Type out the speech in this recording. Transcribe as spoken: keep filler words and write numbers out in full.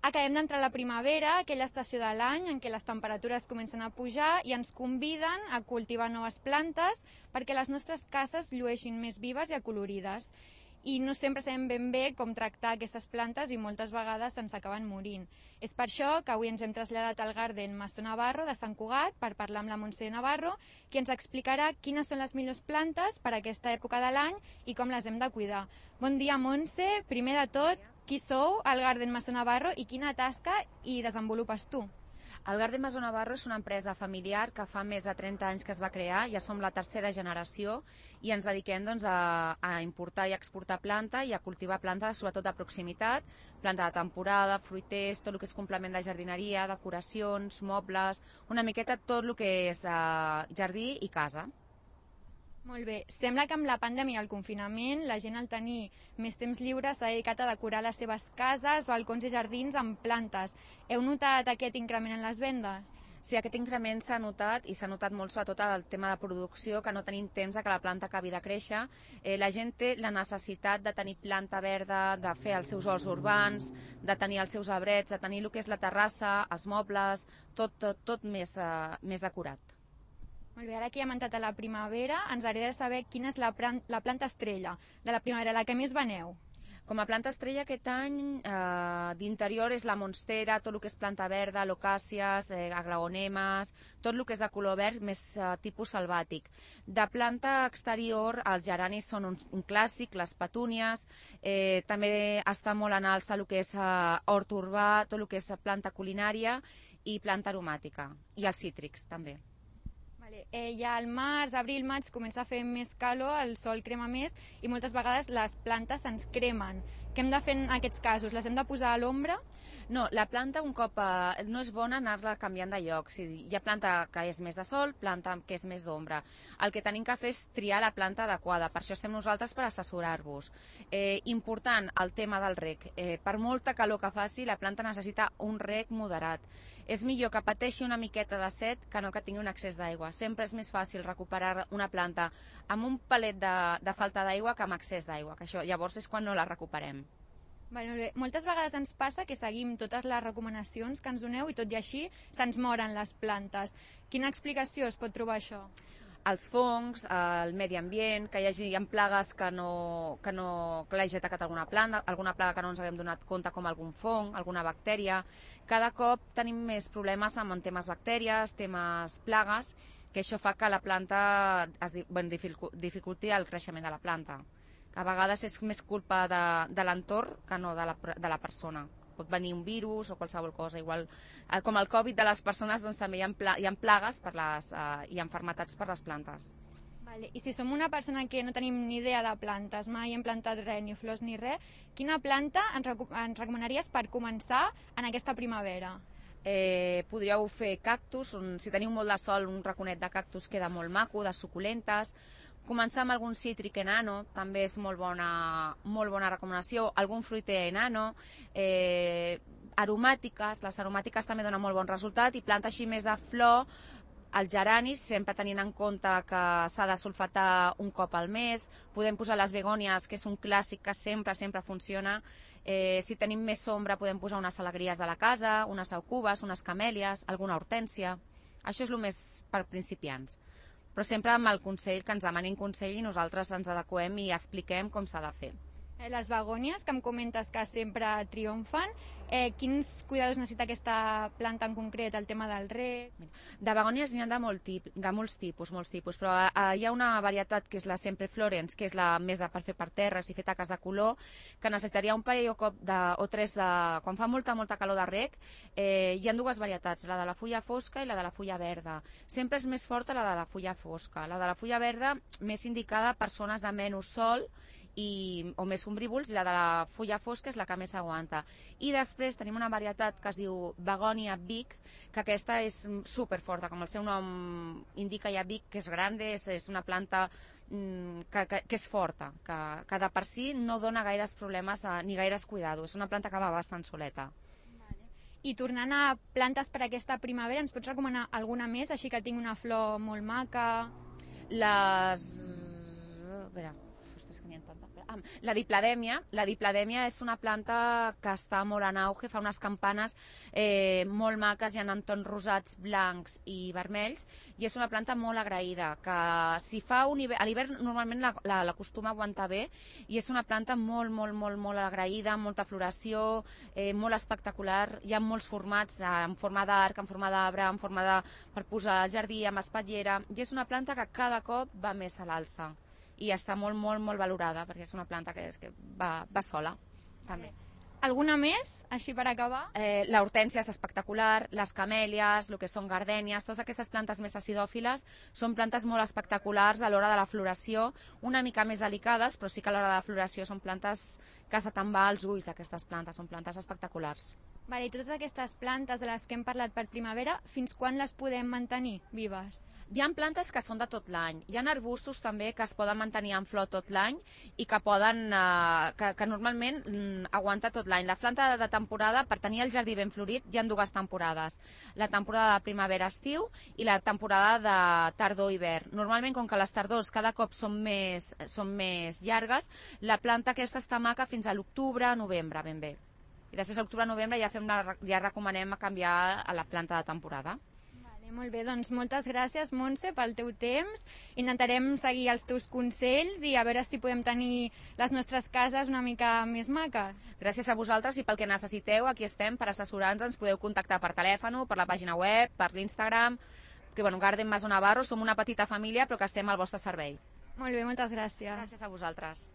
Acabem d'entrar a la primavera, aquella estació de l'any en què les temperatures comencen a pujar i ens conviden a cultivar noves plantes perquè les nostres cases llueixin més vives i acolorides. I no sempre sabem ben bé com tractar aquestes plantes i moltes vegades ens acaben morint. És per això que avui ens hem traslladat al Garden Masó Navarro de Sant Cugat per parlar amb la Montse Navarro, que ens explicarà quines són les millors plantes per a aquesta època de l'any i com les hem de cuidar. Bon dia, Montse. Primer de tot, qui sou al Garden Masó Navarro i quina tasca hi desenvolupes tu? El Garden Masó Navarro és una empresa familiar que fa més de trenta anys que es va crear, ja som la tercera generació i ens dediquem doncs, a, a importar i exportar planta i a cultivar planta sobretot de proximitat, planta de temporada, fruiters, tot el que és complement de jardineria, decoracions, mobles, una miqueta tot el que és uh, jardí i casa. Molt bé. Sembla que amb la pandèmia i el confinament la gent al tenir més temps lliure s'ha dedicat a decorar les seves cases, balcons i jardins amb plantes. Heu notat aquest increment en les vendes? Sí, aquest increment s'ha notat i s'ha notat molt sobretot el tema de producció, que no tenim temps de que la planta acabi de créixer. Eh, la gent té la necessitat de tenir planta verda, de fer els seus horts urbans, de tenir els seus arbrets, de tenir el que és la terrassa, els mobles, tot, tot, tot més, uh, més decorat. Molt bé, ara que ja hem entrat a la primavera, ens agradaria saber quina és la, la planta estrella de la primavera, la que més veneu. Com a planta estrella aquest any eh, d'interior és la monstera, tot el que és planta verda, locàcies, eh, aglaonemes, tot el que és de color verd més eh, tipus selvàtic. De planta exterior els geranis són un, un clàssic, les petúnies, eh, també està molt en alça el que és eh, hort urbà, tot el que és planta culinària i planta aromàtica, i els cítrics també. Eh, ja al març, abril, maig comença a fer més calor, el sol crema més i moltes vegades les plantes ens cremen. Què hem de fer en aquests casos? Les hem de posar a l'ombra? No, la planta un cop eh, no és bona anar-la canviant de lloc. Si hi ha planta que és més de sol, planta que és més d'ombra. El que tenim que fer és triar la planta adequada, per això estem nosaltres per assessorar-vos. Eh, important el tema del reg. Eh, per molta calor que faci, la planta necessita un reg moderat. És millor que pateixi una miqueta de set que no que tingui un excés d'aigua. Sempre és més fàcil recuperar una planta amb un palet de, de falta d'aigua que amb excés d'aigua, que això llavors és quan no la recuperem. Vale, molt bé. Moltes vegades ens passa que seguim totes les recomanacions que ens doneu i tot i així se'ns moren les plantes. Quina explicació es pot trobar això? Els fongs, el medi ambient, que hi hagi hi ha plagues que no que no que l'hagi atacat alguna planta, alguna plaga que no ens haguem donat compte, com algun fong, alguna bactèria. Cada cop tenim més problemes amb temes bactèries, temes plagues, que això fa que la planta es bueno, dificulti el creixement de la planta. A vegades és més culpa de, de l'entorn que no de la, de la persona. Pot venir un virus o qualsevol cosa. Igual, com el Covid de les persones, doncs també hi ha, pla, hi ha plagues per les, uh, i malalties per les plantes. Vale. I si som una persona que no tenim ni idea de plantes, mai hem plantat res, ni flors ni res, quina planta ens, reco ens recomanaries per començar en aquesta primavera? Eh, podríeu fer cactus, un, si teniu molt de sol, un raconet de cactus queda molt maco, de suculentes. Començar amb algun cítric enano, també és molt bona, molt bona recomanació, algun fruiter enano, eh, aromàtiques, les aromàtiques també donen molt bon resultat, i planta així més de flor, els geranis, sempre tenint en compte que s'ha de sulfatar un cop al mes, podem posar les begònies, que és un clàssic que sempre, sempre funciona. Eh, si tenim més sombra podem posar unes alegries de la casa, unes aucubes, unes camèlies, alguna hortènsia. Això és el més per principiants. Però sempre amb el consell, que ens demanin consell i nosaltres ens adequem i expliquem com s'ha de fer. Les begònies, que em comentes que sempre triomfen, eh, quins cuidados necessita aquesta planta en concret, el tema del reg? De begònies n'hi ha de, molt tip, de molts tipus, molts tipus, però eh, hi ha una varietat que és la Sempre Florence, que és la més de per fer per terres i fer taques de color, que necessitaria un parell o, cop de, o tres de... Quan fa molta, molta calor de reg, eh, hi ha dues varietats, la de la fulla fosca i la de la fulla verda. Sempre és més forta la de la fulla fosca. La de la fulla verda, més indicada a persones de menys sol, I, o més ombrívols, i la de la fulla fosca és la que més aguanta. I després tenim una varietat que es diu Begonia Big, que aquesta és superforta, com el seu nom indica, ja Big, que és gran, és, és una planta mm, que, que, que és forta, que, que de per si no dona gaires problemes a, ni gaires cuidados. És una planta que va bastant soleta. I tornant a plantes per aquesta primavera, ens pots recomanar alguna més, així que tingui una flor molt maca? Les... A veure... tenien tanta... Ah, la dipladèmia, la dipladèmia és una planta que està molt en auge, fa unes campanes eh, molt maques, hi ha en tons rosats, blancs i vermells, i és una planta molt agraïda, que si fa un hivern, a l'hivern normalment l'acostuma a aguantar bé, i és una planta molt, molt, molt, molt agraïda, amb molta floració, eh, molt espectacular, hi ha molts formats, eh, en forma d'arc, en forma d'arbre, en forma de... per posar al jardí, amb espatllera, i és una planta que cada cop va més a l'alça i està molt, molt, molt valorada perquè és una planta que, és, que va, va sola també. Alguna més, així per acabar? Eh, la hortènsia és espectacular, les camèlies, el que són gardènies, totes aquestes plantes més acidòfiles són plantes molt espectaculars a l'hora de la floració, una mica més delicades, però sí que a l'hora de la floració són plantes que se te'n va als ulls, aquestes plantes, són plantes espectaculars. Vale, i totes aquestes plantes de les que hem parlat per primavera, fins quan les podem mantenir vives? Hi ha plantes que són de tot l'any. Hi ha arbustos també que es poden mantenir en flor tot l'any i que poden, eh, que, que normalment mm, aguanta tot l'any. La planta de temporada, per tenir el jardí ben florit, hi ha dues temporades. La temporada de primavera-estiu i la temporada de tardor-hivern. Normalment, com que les tardors cada cop són més, són més llargues, la planta aquesta està maca fins a l'octubre, novembre, ben bé. I després a l'octubre-novembre ja, fem la, ja recomanem a canviar a la planta de temporada. Molt bé, doncs moltes gràcies, Montse, pel teu temps. Intentarem seguir els teus consells i a veure si podem tenir les nostres cases una mica més maques. Gràcies a vosaltres i pel que necessiteu, aquí estem per assessorar-nos, ens podeu contactar per telèfon, per la pàgina web, per l'Instagram, que bueno, Garden Maso Navarro, som una petita família però que estem al vostre servei. Molt bé, moltes gràcies. Gràcies a vosaltres.